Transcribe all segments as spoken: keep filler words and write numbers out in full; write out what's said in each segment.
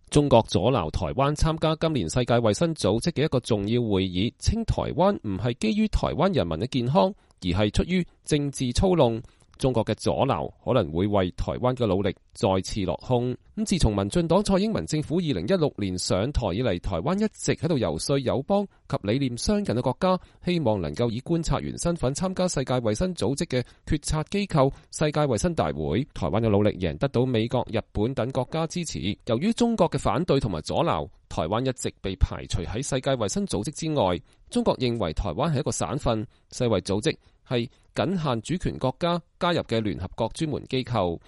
中國阻撓台灣參加今年世界衛生組織嘅一個重要會議，稱台灣唔係基於台灣人民嘅健康，而係出於政治操弄。中國嘅阻撓可能會為台灣嘅努力再次落空。咁自從民進黨蔡英文政府二零一六年上台以嚟，台灣一直喺度游說友邦及理念相近嘅國家，希望能夠以觀察員身份參加世界衛生組織嘅決策機構世界衛生大會。台灣嘅努力仍得到美國、日本等國家支持。由於中國嘅反對同埋阻撓，台灣一直被排除喺世界衛生組織之外。中國認為台灣係一個省份，世衛組織係僅限主權國家加入嘅聯合國專門機構。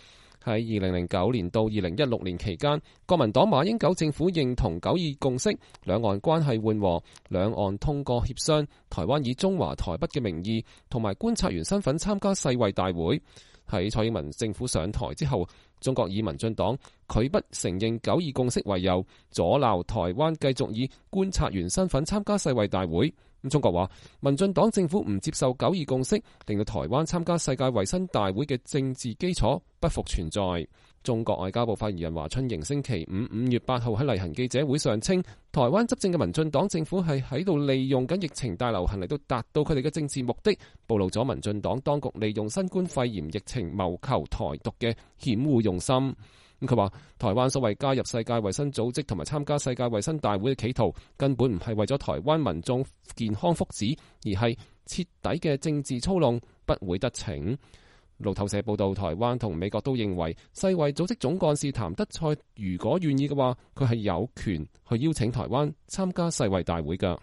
喺二零零九年到二零一六年期間，國民黨馬英九政府認同九二共識，兩岸關係緩和，兩岸通過協商，台灣以中華台北嘅名義同埋觀察員身份參加世衛大會。喺蔡英文政府上台之後，中國以民進黨拒不承認九二共識為由，阻撓台灣繼續以觀察員身份參加世衛大會。咁中國話，民進黨政府唔接受九二共識，令到台灣參加世界衛生大會嘅政治基礎不復存在。中國外交部發言人華春瑩星期五五月八號喺例行記者會上稱，台灣執政嘅民進黨政府係喺度利用緊疫情大流行嚟到達到佢哋嘅政治目的，暴露咗民進黨當局利用新冠肺炎疫情謀求台獨嘅險惡用心。咁佢話，台灣所謂加入世界衛生組織同埋參加世界衛生大會嘅企圖，根本唔係為咗台灣民眾健康福祉，而係徹底嘅政治操弄，不會得逞。路透社報道，台灣同美國都認為世衛組織總幹事譚德塞如果願意嘅話，佢係有權去邀請台灣參加世衛大會㗎。